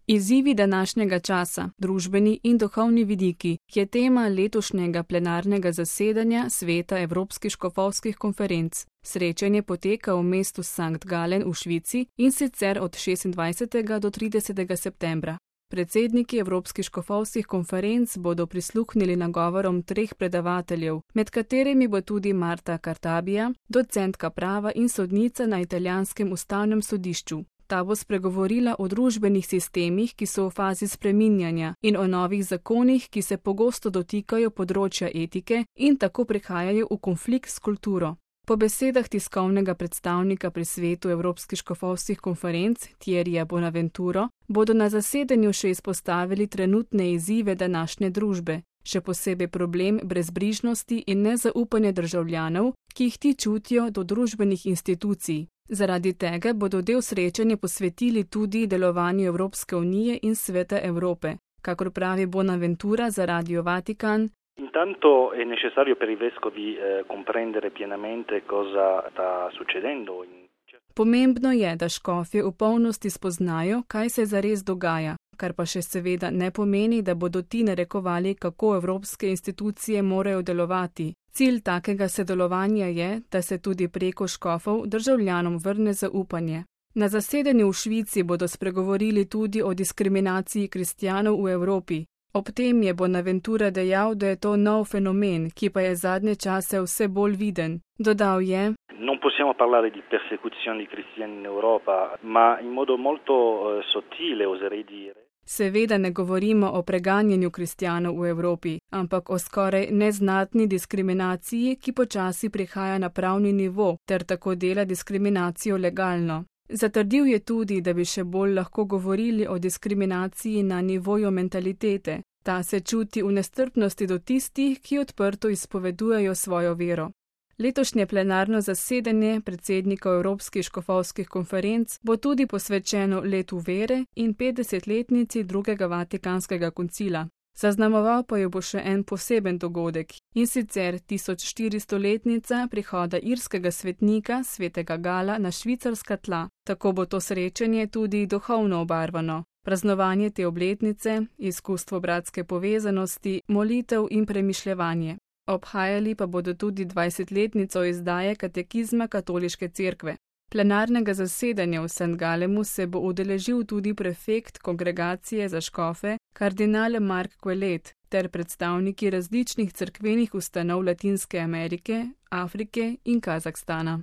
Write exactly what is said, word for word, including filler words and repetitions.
Izzivi današnjega časa, družbeni in duhovni vidiki, je tema letošnjega plenarnega zasedanja Sveta Evropskih škofovskih konferenc. Srečanje poteka v mestu Sankt Gallen v Švici in sicer od šestindvajsetega do tridesetega septembra. Predsedniki Evropskih škofovskih konferenc bodo prisluhnili nagovorom treh predavateljev, med katerimi bo tudi Marta Cartabia, docentka prava in sodnica na italijanskem ustavnem sodišču. Ta bo spregovorila o družbenih sistemih, ki so v fazi spreminjanja, in o novih zakonih, ki se pogosto dotikajo področja etike in tako prihajajo v konflikt s kulturo. Po besedah tiskovnega predstavnika pri Svetu Evropskih škofovskih konferenc Thierryja Bonaventuro bodo na zasedanju še izpostavili trenutne izzive današnje družbe, še posebej problem brezbrižnosti in nezaupanja državljanov, ki jih ti čutijo do družbenih institucij. Zaradi tega bodo del srečanja posvetili tudi delovanju Evropske unije in Sveta Evrope, kakor pravi Bonaventura za Radio Vatikan. Intanto è necessario per i vescovi eh, comprendere pienamente cosa sta succedendo. Pomembno je, da škofje v polnosti spoznajo, kaj se zares dogaja, kar pa še seveda ne pomeni, da bodo ti narekovali, kako evropske institucije morajo delovati. Cilj takega sodelovanja je, da se tudi preko škofov državljanom vrne zaupanje. Na zasedanju v Švici bodo spregovorili tudi o diskriminaciji kristjanov v Evropi. Ob tem je Bonaventura dejal, da je to nov fenomen, ki pa je zadnje čase vse bolj viden. Dodal je: Non possiamo parlare di persecuzione di cristiani in Europa, ma in modo molto uh, sottile, oserei dire. Seveda ne govorimo o preganjanju kristjanov v Evropi, ampak o skoraj neznatni diskriminaciji, ki počasi prihaja na pravni nivo, ter tako dela diskriminacijo legalno. Zatrdil je tudi, da bi še bolj lahko govorili o diskriminaciji na nivoju mentalitete. Ta se čuti v nestrpnosti do tistih, ki odprto izpovedujejo svojo vero. Letošnje plenarno zasedanje predsednikov Evropskih škofovskih konferenc bo tudi posvečeno letu vere in petdesetletnici drugega Vatikanskega koncila. Zaznamoval pa jo bo še en poseben dogodek, in sicer tisočštiristoletnica prihoda irskega svetnika svetega Gala na švicarska tla. Tako bo to srečanje tudi duhovno obarvano. Praznovanje te obletnice, izkustvo bratske povezanosti, molitev in premišljevanje. Obhajali pa bodo tudi dvajsetletnico izdaje katekizma katoliške cerkve. Plenarnega zasedanja v Sankt Gallenu se bo udeležil tudi prefekt kongregacije za škofe, kardinal Mark Ouellet, ter predstavniki različnih cerkvenih ustanov Latinske Amerike, Afrike in Kazahstana.